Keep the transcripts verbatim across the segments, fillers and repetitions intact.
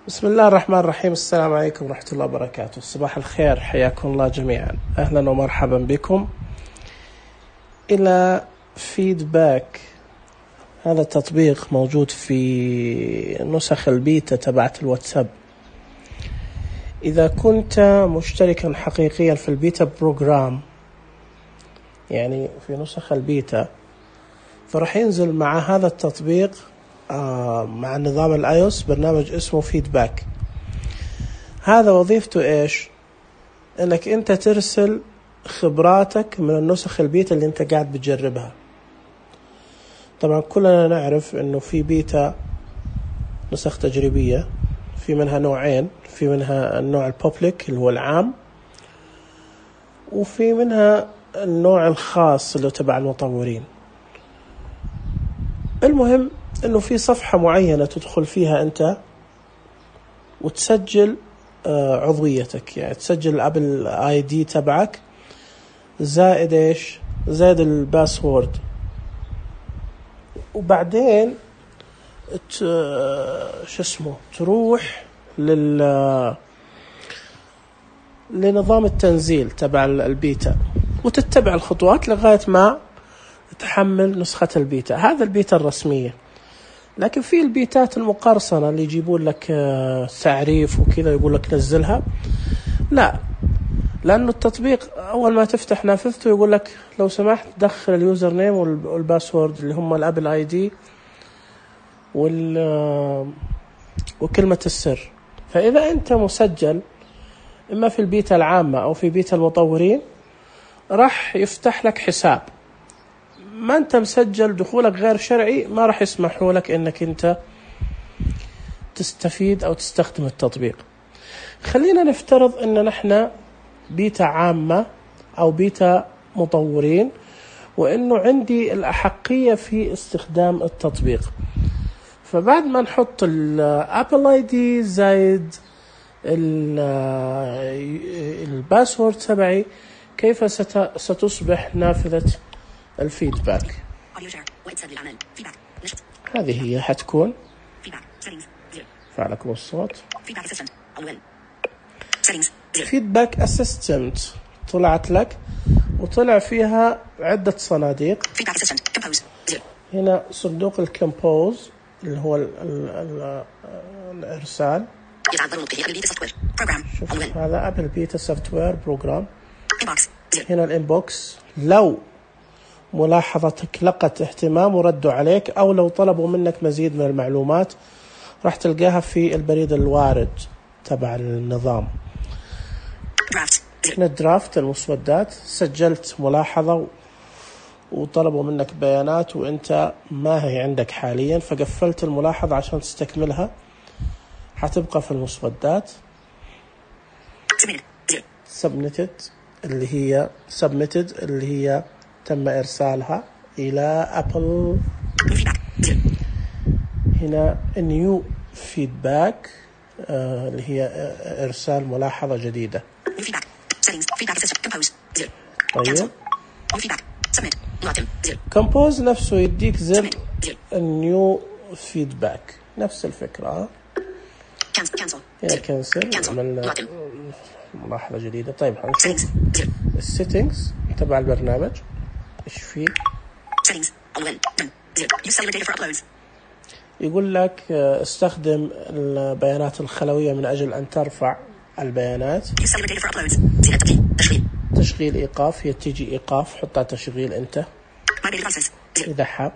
بسم الله الرحمن الرحيم. السلام عليكم ورحمة الله وبركاته. صباح الخير، حياكم الله جميعا، أهلا ومرحبا بكم إلى فيدباك. هذا التطبيق موجود في نسخ البيتا تبعت الواتساب. إذا كنت مشتركا حقيقيا في البيتا بروجرام، يعني في نسخ البيتا، فرح ينزل مع هذا التطبيق آه مع نظام الايوس برنامج اسمه فيدباك. هذا وظيفته ايش؟ انك انت ترسل خبراتك من النسخ البيتا اللي انت قاعد بتجربها. طبعا كلنا نعرف انه في بيتا نسخ تجريبية، في منها نوعين، في منها النوع البوبليك اللي هو العام، وفي منها النوع الخاص اللي تبع المطورين. المهم انه في صفحة معينة تدخل فيها انت وتسجل عضويتك، يعني تسجل الابل اي دي تبعك زائد ايش زائد الباسورد، وبعدين شو اسمه تروح لل لنظام التنزيل تبع البيتا وتتبع الخطوات لغاية ما تحمل نسخة البيتا. هذا البيتا الرسمية. لكن في البيتات المقرصنة اللي يجيبون لك تعريف وكذا يقول لك نزلها، لا، لأنه التطبيق أول ما تفتح نافذته يقول لك لو سمحت دخل اليوزر نيم والباسورد اللي هم الابل اي دي وال وكلمة السر. فإذا أنت مسجل إما في البيتا العامة أو في بيتا المطورين راح يفتح لك حساب. ما أنت مسجل دخولك غير شرعي ما راح يسمحوا لك إنك أنت تستفيد أو تستخدم التطبيق. خلينا نفترض إن نحن بيتا عامة أو بيتا مطورين، وإنه عندي الأحقية في استخدام التطبيق. فبعد ما نحط الابل اي دي زائد الباسورد تبعي، كيف ستصبح نافذة الفيدباك؟ هذه هي حتكون فعلكم الصوت فيدباك اسيستنت. طلعت لك وطلع فيها عدة صناديق. هنا صندوق الكمبوز اللي هو ال ال ال الإرسال. شوف هذا أبل بيتا سوفت وير بروجرام. هنا الإنبوكس، لو ملاحظتك لقت اهتمام وردوا عليك أو لو طلبوا منك مزيد من المعلومات راح تلقاها في البريد الوارد تبع النظام. هنا الدرافت المسودات، سجلت ملاحظة وطلبوا منك بيانات وانت ما هي عندك حاليا فقفلت الملاحظة عشان تستكملها، حتبقى في المسودات. submitted اللي هي submitted اللي هي تم إرسالها إلى أبل. هنا new feedback آه اللي هي إرسال ملاحظة جديدة. طيب كمبوز نفسه يديك زر النيو فيدباك، نفس الفكرة. هنا كنسل، عملنا ملاحظة جديدة. طيب هنشوف السيتنجز تبع البرنامج ايش فيه. يقول لك استخدم البيانات الخلوية من أجل أن ترفع البيانات. تشغيل إيقاف، هي تيجي إيقاف حطها تشغيل أنت إذا حاب.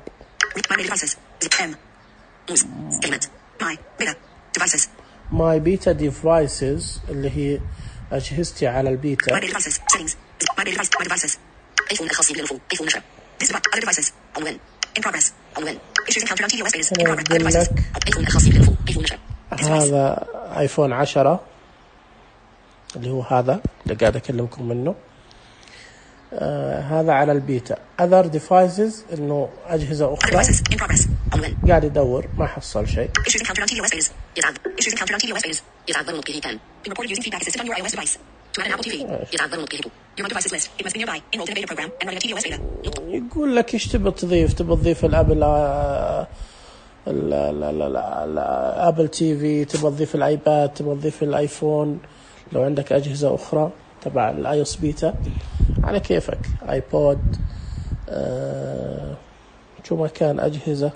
My Beta Devices اللي هي أجهزتي على البيتا. هذا آيفون عشرة اللي هو هذا اللي قاعد أكلمكم منه. آه هذا على البيتا. other devices إنه أجهزة أخرى. قاعد يدور ما حصل شيء. يقول لك إيش تبي تضيف؟ تبي تضيف الأبل لا لا لا لا, لا. ابل تي في، تبغى تضيف الايباد، تبغى تضيف الايفون، لو عندك اجهزه اخرى تبع الاي اس بيتا على كيفك، ايبود، آه شو ما كان اجهزه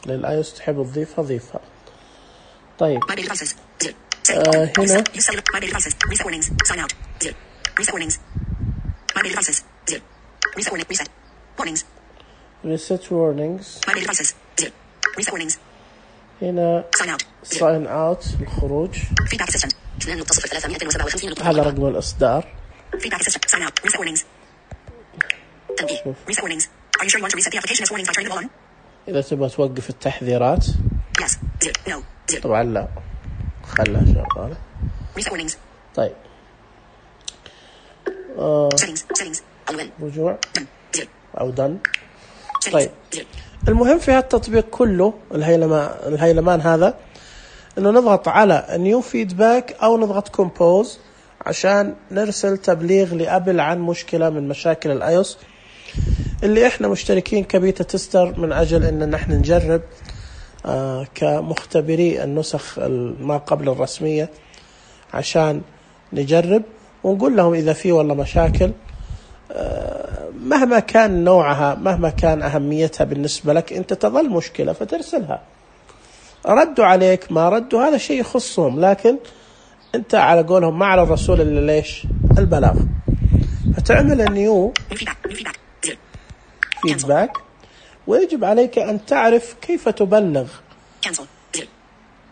للاي اس تحب تضيفها ضيفها. طيب آه هنا reset warnings، هنا sign out الخروج، هذا رقم الإصدار. إذا تبغى توقف التحذيرات طبعا لا، خلها شغالة. طيب آه. رجوع أو done. طيب المهم في هالتطبيق كله الهيلمان, الهيلمان هذا إنه نضغط على new feedback أو نضغط compose عشان نرسل تبليغ لأبل عن مشكلة من مشاكل الايوس اللي احنا مشتركين كبيتا تستر من اجل ان نحن نجرب آه كمختبري النسخ ما قبل الرسمية، عشان نجرب ونقول لهم اذا في والله مشاكل آه مهما كان نوعها، مهما كان اهميتها بالنسبة لك، انت تظل مشكلة فترسلها. ردوا عليك ما ردوا هذا شيء يخصهم، لكن انت على قولهم ما على الرسول اللي ليش البلاغ. فتعمل النيو فيدباك، ويجب عليك أن تعرف كيف تبلغ.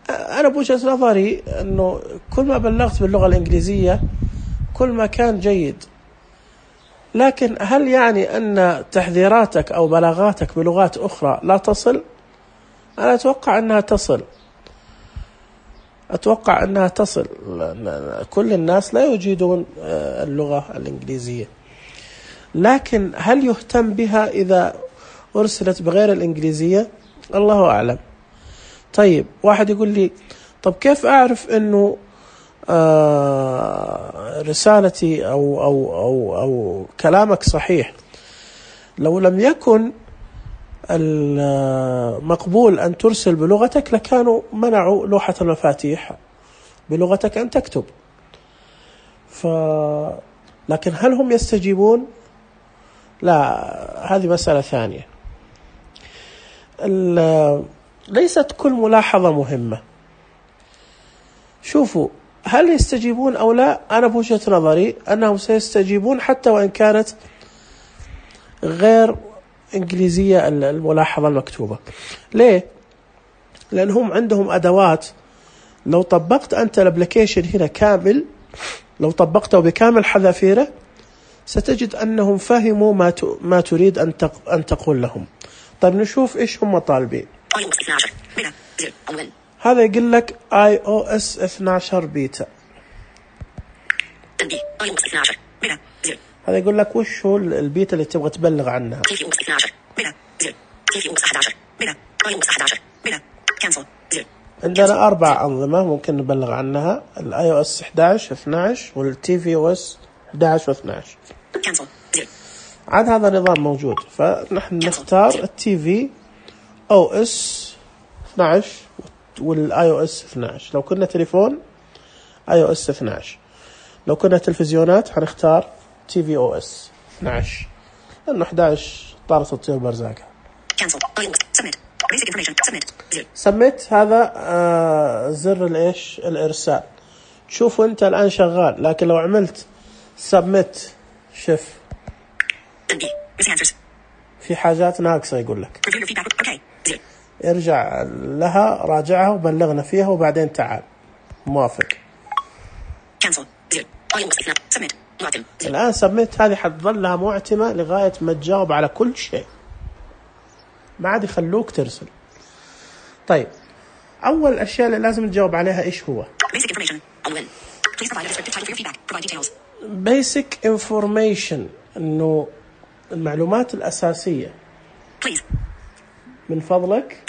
أنا بوجهة نظري أنه كل ما بلغت باللغة الإنجليزية كل ما كان جيد، لكن هل يعني أن تحذيراتك أو بلاغاتك بلغات أخرى لا تصل؟ أنا أتوقع أنها تصل، أتوقع أنها تصل. كل الناس لا يجيدون اللغة الإنجليزية، لكن هل يهتم بها إذا أرسلت بغير الإنجليزية؟ الله أعلم. طيب واحد يقول لي طب كيف أعرف أنه آه رسالتي أو, أو, أو, أو كلامك صحيح؟ لو لم يكن المقبول أن ترسل بلغتك لكانوا منعوا لوحة المفاتيح بلغتك أن تكتب. ف... لكن هل هم يستجيبون؟ لا، هذه مسألة ثانية. ليست كل ملاحظة مهمة. شوفوا هل يستجيبون أو لا، أنا بوجهة نظري أنهم سيستجيبون حتى وإن كانت غير إنجليزية الملاحظة المكتوبة. ليه؟ لأنهم عندهم أدوات، لو طبقت أنت الابليكيشن هنا كامل، لو طبقته بكامل حذافيره ستجد أنهم فهموا ما ما تريد أن أن تقول لهم. طيب نشوف إيش هم طالبين. هذا يقول لك آي أو إس اثنا عشر بيتا، هذا يقول لك وش هو البيتا اللي تبغى تبلغ عنها. عندنا أربع أنظمة ممكن نبلغ عنها، الاي او اس احد عشر اثنا عشر والتي في او اس احد عشر واثنا عشر. عاد هذا نظام موجود، فنحن نختار التي في او اس اثنا عشر والاي او اس اثنا عشر. لو كنا تليفون اي او اس اثنا عشر، لو كنا تلفزيونات حنختار تي في او اس اثنا عشر، لأنه احد عشر طارت الطيور برزاقها. سميت هذا آه زر الايش الارسال. تشوفوا انت الان شغال، لكن لو عملت سبميت شوف في حاجات ناقصة يقول لك. ارجع لها راجعها وبلغنا فيها وبعدين تعال موافق. الآن سبميت هذه حتظل لها معتمة لغاية ما تجاوب على كل شيء، ما عاد يخلوك ترسل. طيب أول الأشياء اللي لازم تجاوب عليها إيش هو؟ basic information، إنه المعلومات الأساسية. من فضلك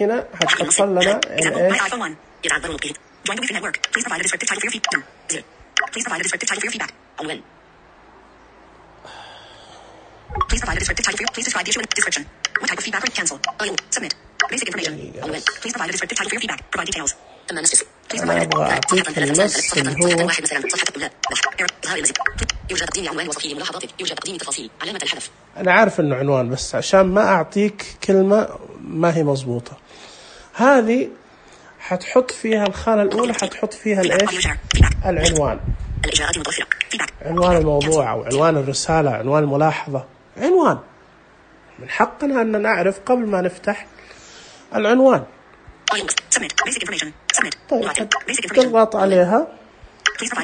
هنا هتحصل لنا عنوان. Please provide a descriptive title for your. Please describe the issue in description. What type of feedback? Cancel. I'll submit. Basic information. عنوان. Please provide a descriptive title for your feedback. Provide details. تم النص. أنا أبغى أعطيك النص اللي هو. يوجد تقديم عنوان وصفحة ملاحظات. يوجد تقديم تفاصيل. علامة الحذف. أنا عارف إنه عنوان بس عشان ما أعطيك كلمة ما هي مضبوطة. هذه حتحط فيها الخانة الأولى حتحط فيها الإيش؟ العنوان. الإجراءات المتوفرة. عنوان الموضوع أو عنوان الرسالة، عنوان الملاحظة، عنوان. من حقنا أن نعرف قبل ما نفتح العنوان. طيب تضغط عليها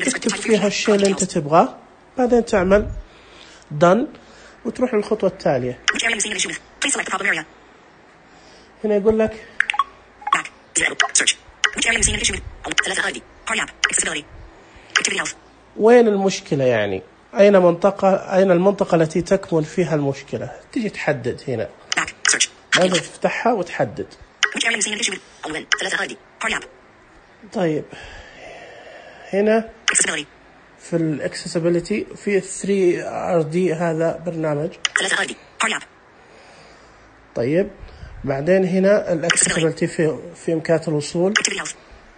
تكتب فيها الشيء اللي أنت تبغاه، بعدين تعمل done وتروح للخطوة التالية. هنا يقول لك وين المشكلة، يعني أين منطقة أين المنطقة التي تكمن فيها المشكلة، تيجي تحدد هنا، لازم تفتحها وتحدد. طيب هنا في الاكسسبيليتي في ثري آر دي هذا برنامج. طيب بعدين هنا الاكسسبيليتي في في إمكانيات الوصول،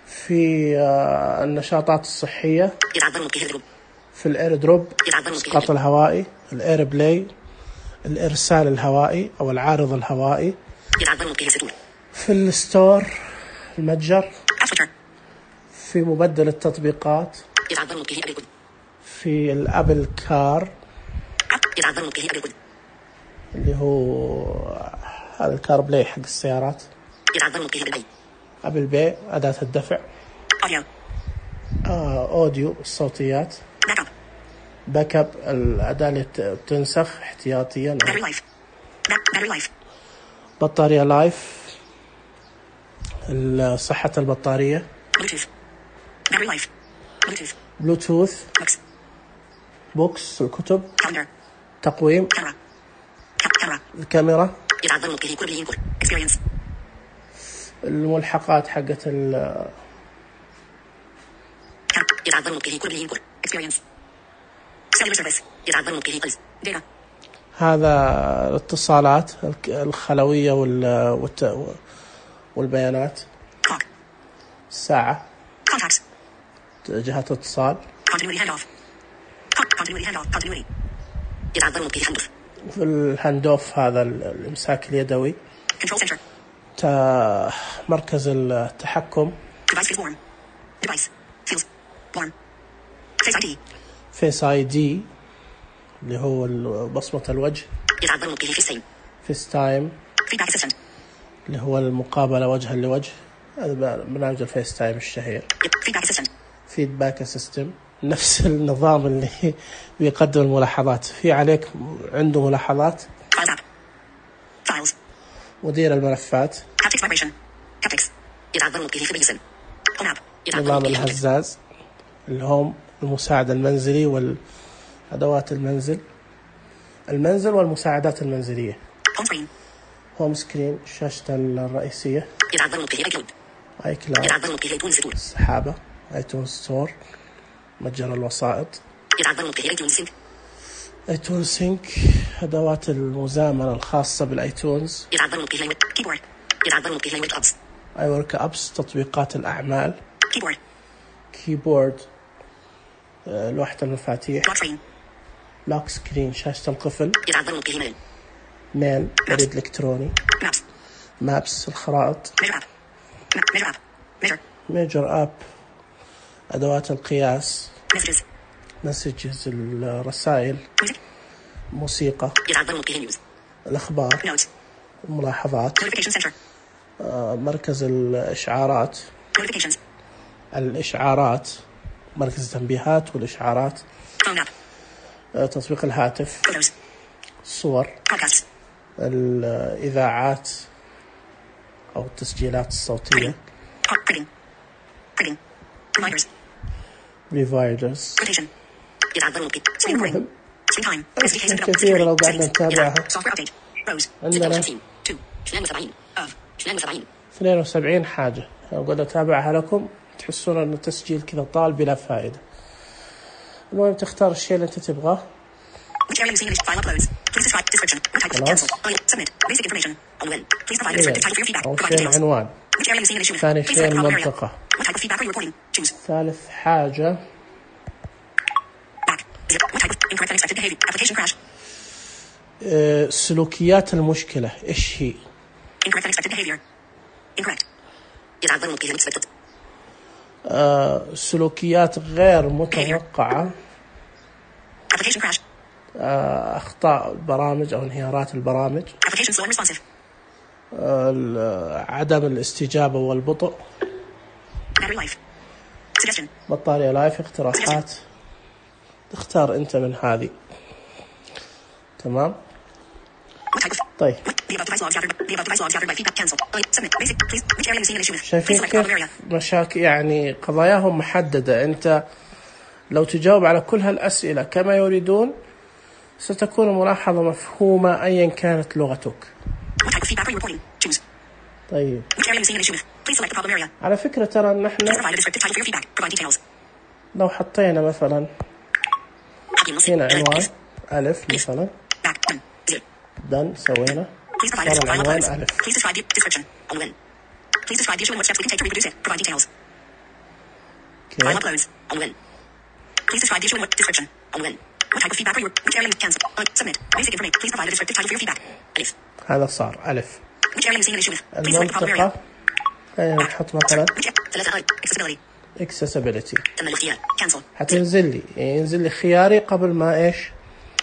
في آه النشاطات الصحية، في الاير دروب الإسقاط الهوائي، الاير بلاي الإرسال الهوائي أو العارض الهوائي، في الستور المتجر، في مبدل التطبيقات، في الأبل كار اللي هو هذا الكار بلاي حق السيارات، أبل باي أداة الدفع، آه أوديو الصوتيات، باك اب الأداة اللي بتنسخ احتياطيا، بطارية لايف صحة البطارية، بلوتوث، بوكس الكتب، تقويم، الكاميرا، الملحقات حقت ال هذا الاتصالات الخلوية والبيانات، الساعة، جهة اتصال، في الهاندوف هذا الإمساك اليدوي، مركز التحكم، فيس آي دي اللي هو بصمة الوجه، فيس تايم اللي هو المقابلة وجها لوجه، هذا برنامج الفيس تايم الشهير، فيدباك سيستم نفس النظام اللي بيقدم الملاحظات، في عليك عنده ملاحظات، مدير الملفات، نظام الهزاز، الهوم المساعد المنزلي والأدوات المنزل، المنزل والمساعدات المنزلية، هوم سكرين الشاشة الرئيسية، آي كلاود السحابة، آيتونز ستور متجر الوسائط، آيتونز سينك أدوات المزامنة الخاصة بالآيتونز، آي ورك أبس تطبيقات الأعمال، كيبورد لوحة المفاتيح، لوك سكرين شاشة القفل، ميل بريد إلكتروني، مابس الخرائط، ميجر أب أدوات القياس، مسجز الرسائل، موسيقى، الأخبار، الملاحظات، مركز الإشعارات، الإشعارات مركز التنبيهات والإشعارات، تطبيق الهاتف، الصور، الإذاعات أو التسجيلات الصوتية، ريفايدرز، المهم كثير لو قعدنا نتابعها. عندنا اثنين وسبعين حاجة لو قعدنا نتابعها لكم تحسون أن التسجيل كذا طال بلا فائدة. المهم تختار الشيء اللي أنت تبغاه. Which area using English? File uploads. Please describe description. What type of cancel? Submit. Basic information. On win. Please provide a descriptive title for your feedback. أول Provide شيء details. العنوان. Which area using English? ثاني Please شيء select the problem area. المنطقة. What type of feedback are you reporting? Choose. ثالث حاجة Back. Zero. What type of incorrect unexpected behavior? Application crash. أه سلوكيات المشكلة إيش هي؟ Incorrect unexpected behavior. Incorrect. يتعذر ممكن unexpected. أه سلوكيات غير متوقعة. Application crash. أه أخطاء البرامج أو انهيارات البرامج. Application slow and responsive. أه عدم الاستجابة والبطء. Battery life. Suggestion. بطارية لايف. اقتراحات تختار أنت من هذه. تمام. What type of طيب the above device logs gathered the above device logs gathered by feedback cancel. Submit. Basic. Please. Which area using an issue with? Please شايفين select problem area. كيف مشاكل يعني قضاياهم محددة. أنت لو تجاوب على كل هالأسئلة كما يريدون ستكون الملاحظة مفهومة أيا كانت لغتك. What type of feedback are you reporting? Choose. طيب Which area using an issue with? Please select the problem area. على فكرة ترى نحن Please provide a descriptive title for your feedback. Provide details. لو حطينا مثلا Happiness. هنا عنوان ألف مثلا Back. Done. Zero. دن سوينا Please provide a صار file العنوان uploads. ألف. Please describe the description. On win. Please describe the issue and what steps we can take to reproduce it. Provide details. File كيف uploads. On win. Please describe the issue and what description. On win. What type of feedback are you? Which area cancel? Uh, submit. Basic information. Please provide a descriptive title for your feedback. Alif. هذا صار ألف. Which area using an issue with? Please select the problem area. المنطقة خلينا نحط مثلا Which ثلاثة I. Accessibility. accessibility. تم الاختيار. Cancel. حتنزل لي ينزل لي خياري قبل ما إيش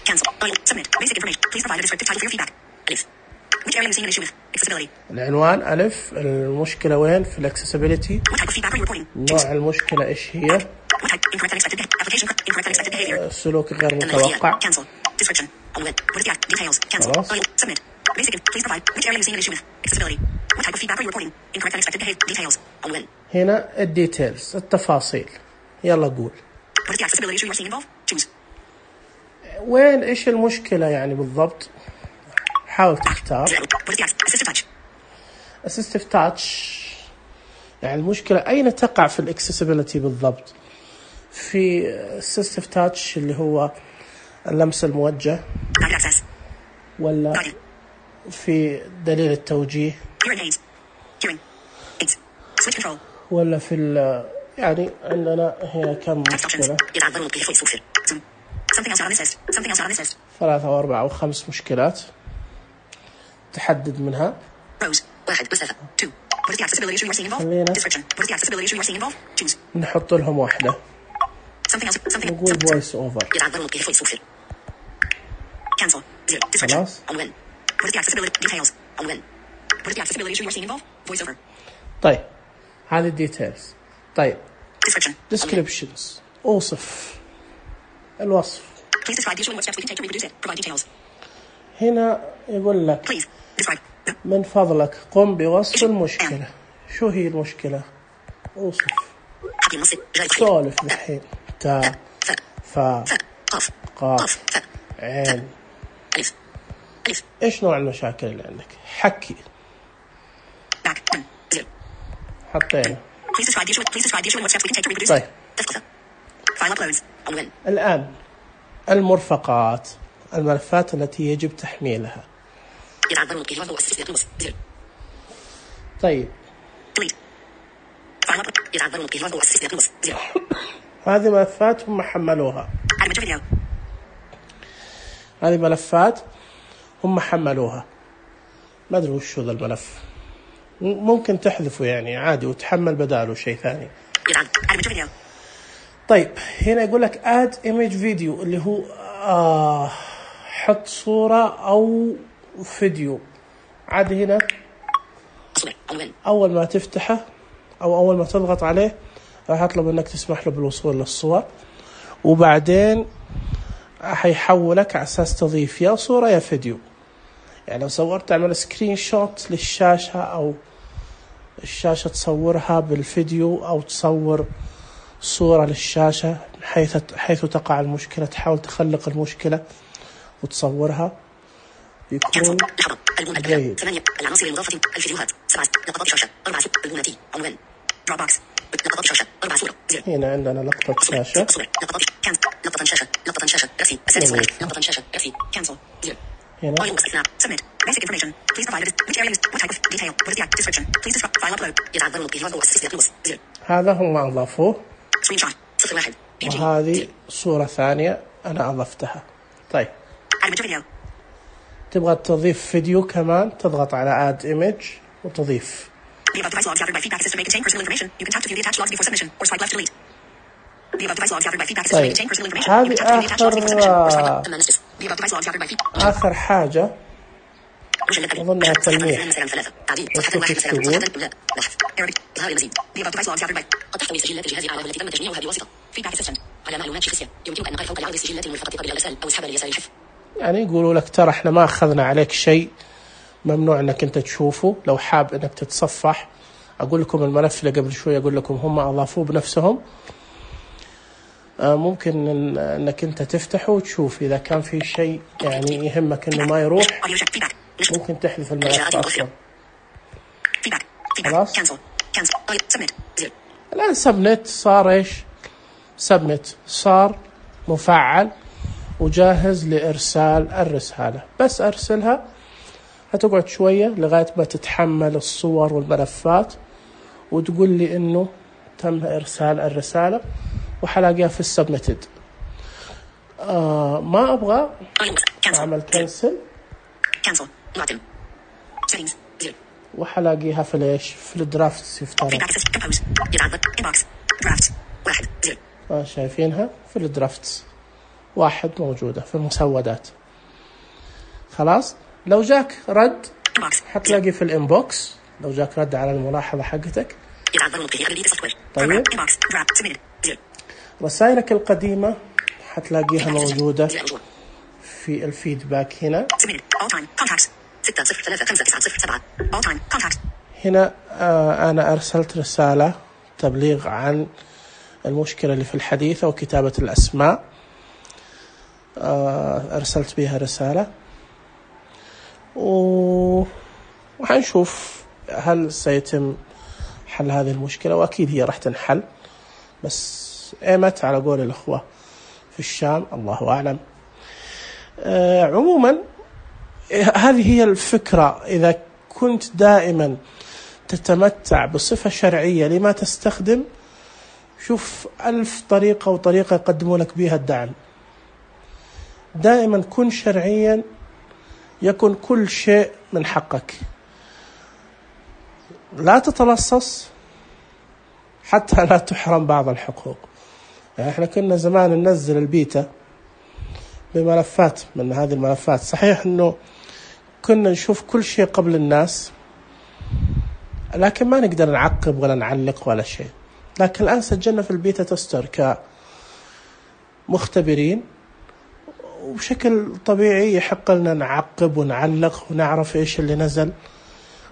Cancel. I. Submit. Basic information. Please provide a descriptive title for your feedback. Alif. Which area using an issue with? Accessibility. العنوان ألف. المشكلة وين في الاكسسبيليتي. What type of feedback are you reporting? نوع المشكلة إيش هي. What type? Incorrect unexpected application. Incorrect unexpected behavior. سلوك غير تم الاختيار. متوقع. Cancel. Description. On win. What is the act? Details. Cancel. خلاص. I. Submit. Basic. Please provide. Which area using an issue with? Accessibility. What type of feedback are you reporting? Incorrect unexpected behavior. Details. On win. هنا الديتيلز التفاصيل. يلا قول What is the accessibility issue you are seeing involved? Choose. وين إيش المشكلة يعني بالضبط. حاول تختار. Zero. What is the act? Assistive touch. assistive touch يعني المشكلة أين تقع في الاكسسبيليتي بالضبط. في assistive touch اللي هو اللمس الموجه Guided access. ولا Guided. في دليل التوجيه Hearing aids. Hearing aids. Switch control. ولا في ال يعني عندنا هنا كم Text options. مشكلة. يتعذر ممكن يفوت سوفر. Zoom. Something else out on this list. Something else out on this list. ثلاثة أو أربعة أو خمس مشكلات تحدد منها. Rows. واحد مسافة. Two. What is the accessibility issue you are seeing involved? خلينا. Description. What is the accessibility issue you are seeing involved? Choose. نحط لهم واحدة. Something else. Something. نقول something- voice over. يتعذر ممكن يفوت سوفر. Cancel. Zero. Description. خلاص. On win. What is the accessibility details? On win. What is the accessibility issue you are seeing involved? Voice over. طيب هذه الديتيلز. طيب Description. On win. descriptions أوصف الوصف. Please describe the issue and what steps we can take to reproduce it. Provide details. هنا يقول لك Please describe. من فضلك قم بوصف المشكلة. شو هي المشكلة؟ أوصف. حكي النص. جاي تخيل. سولف الحين. تا ف. فا ف. قاف. قاف قاف. ف. عين. ألف. ألف. إيش نوع المشاكل اللي عندك؟ حكي. Back. Done. Zero. حطينا. Please describe the issue. Please describe the issue and what steps we can take to reproduce طيب. it. تثقيف. File uploads. On win. الآن المرفقات الملفات التي يجب تحميلها. يتعذر ممكن يفوت استثناء نص. Zero. طيب Delete. File upload. يتعذر ممكن يفوت استثناء نص. Zero. هذه ملفات هم حملوها. Add image video. هذه ملفات هم حملوها. ما أدري وش هذا الملف. م- ممكن تحذفه يعني عادي وتحمل بداله شيء ثاني. يتعذر. Add image video. طيب هنا يقول لك add image video اللي هو آه حط صورة أو فيديو. عاد هنا صور. On win. أول ما تفتحه أو أول ما تضغط عليه راح يطلب إنك تسمح له بالوصول للصور وبعدين حيحولك على أساس تضيف يا صورة يا فيديو. يعني لو صورت تعمل سكرين شوت للشاشة أو الشاشة تصورها بالفيديو أو تصور صورة للشاشة حيث حيث تقع المشكلة تحاول تخلق المشكلة وتصورها بيكون لحظة. البومة جيد. ثمانية. العناصر المضافة. الفيديوهات. سبعة. لقطات شاشة. أربعة. البومة. On win. Dropbox. لقطات شاشة. أربعة صورة. Zero. هنا عندنا لقطة شاشة. صور. لقطات. Cancel. لقطة شاشة لقطة شاشة رأسي السادس واحد لقطة شاشة رأسي cancel zero هنا audio snap submit basic information please provide a which area used what type of detail what is the description please describe file upload يتعذر القيام والسيستم بلس zero هذا هم أضافوه. screen shot صفر واحد وهذه صورة ثانية أنا أضفتها. طيب add image video تبغى تضيف فيديو كمان تضغط على add image وتضيف. The above device logs gathered by feedback system may contain personal information. You can tap to view the attached logs before submission or swipe left to delete. The above device logs gathered by feedback system may طيب contain personal information. You هذه can tap to view the attached logs before submission or swipe left. آخر Amendments. The above device logs gathered by feedback. آخر حاجة أظنها تلميح. صفحة واحد مثلا صفحة لا بحث Arabic إظهار المزيد. The above device logs gathered by قد تحتوي سجلات الجهاز الأعلى التي تم تجميعها بواسطة feedback assistant على معلومات شخصية. يمكنك أن نقل فوق العرض السجلات الملفقة قبل الإرسال أو اسحبها ليسار الحفظ. يعني يقولوا لك ترى احنا ما أخذنا عليك شيء ممنوع انك انت تشوفه. لو حاب انك تتصفح اقول لكم الملف اللي قبل شوي اقول لكم هم اضافوه بنفسهم. آه ممكن إن انك انت تفتحه وتشوف اذا كان في شيء يعني يهمك انه ما يروح ممكن تحذف الملف اصلا. خلاص الان سبنت صار ايش؟ سبنت صار مفعل وجاهز لارسال الرسالة. بس ارسلها هتقعد شوية لغاية ما تتحمل الصور والملفات وتقول لي إنه تم إرسال الرسالة وحلاقيها في السبميتد. آه ما أبغى أعمل كنسل وحلاقيها في ليش في الدرافتس يفترض. آه شايفينها في الدرافتس واحد موجودة في المسودات. خلاص لو جاك رد حتلاقي في الانبوكس لو جاك رد على الملاحظة حقتك. طيب رسائلك القديمة حتلاقيها موجودة في الفيدباك هنا. هنا آه أنا أرسلت رسالة تبليغ عن المشكلة اللي في الحديثة وكتابة الأسماء. آه أرسلت بها رسالة وحنشوف هل سيتم حل هذه المشكلة وأكيد هي راح تنحل بس ايمت على قول الأخوة في الشام الله أعلم. آه عموما هذه هي الفكرة. إذا كنت دائما تتمتع بصفة شرعية لما تستخدم شوف ألف طريقة وطريقة يقدموا لك بها الدعم. دائما كن شرعيا يكن كل شيء من حقك. لا تتلصص حتى لا تحرم بعض الحقوق. يعني احنا كنا زمان ننزل البيتا بملفات من هذه الملفات. صحيح انه كنا نشوف كل شيء قبل الناس لكن ما نقدر نعقب ولا نعلق ولا شيء. لكن الآن سجلنا في البيتا تستر كمختبرين وبشكل طبيعي يحق لنا نعقب ونعلق ونعرف إيش اللي نزل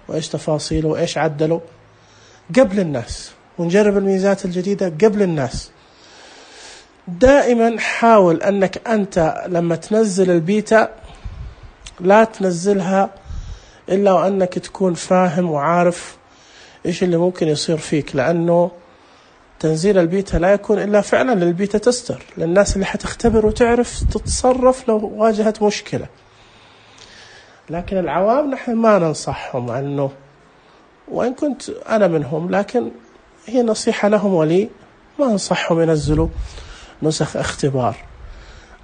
وإيش تفاصيله وإيش عدله قبل الناس ونجرب الميزات الجديدة قبل الناس. دائما حاول أنك أنت لما تنزل البيتا لا تنزلها إلا وأنك تكون فاهم وعارف إيش اللي ممكن يصير فيك. لأنه تنزيل البيتا لا يكون إلا فعلا للبيتا تستر للناس اللي حتختبر وتعرف تتصرف لو واجهت مشكلة. لكن العوام نحن ما ننصحهم عنه وإن كنت أنا منهم لكن هي نصيحة لهم ولي ما أنصحهم ينزلوا نسخ اختبار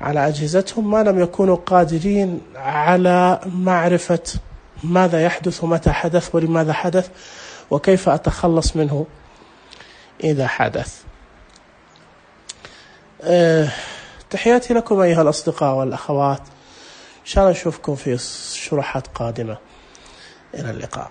على أجهزتهم ما لم يكونوا قادرين على معرفة ماذا يحدث ومتى حدث ولماذا حدث وكيف أتخلص منه إذا حدث. أه تحياتي لكم أيها الأصدقاء والأخوات. إن شاء الله نشوفكم في شروحات قادمة. إلى اللقاء.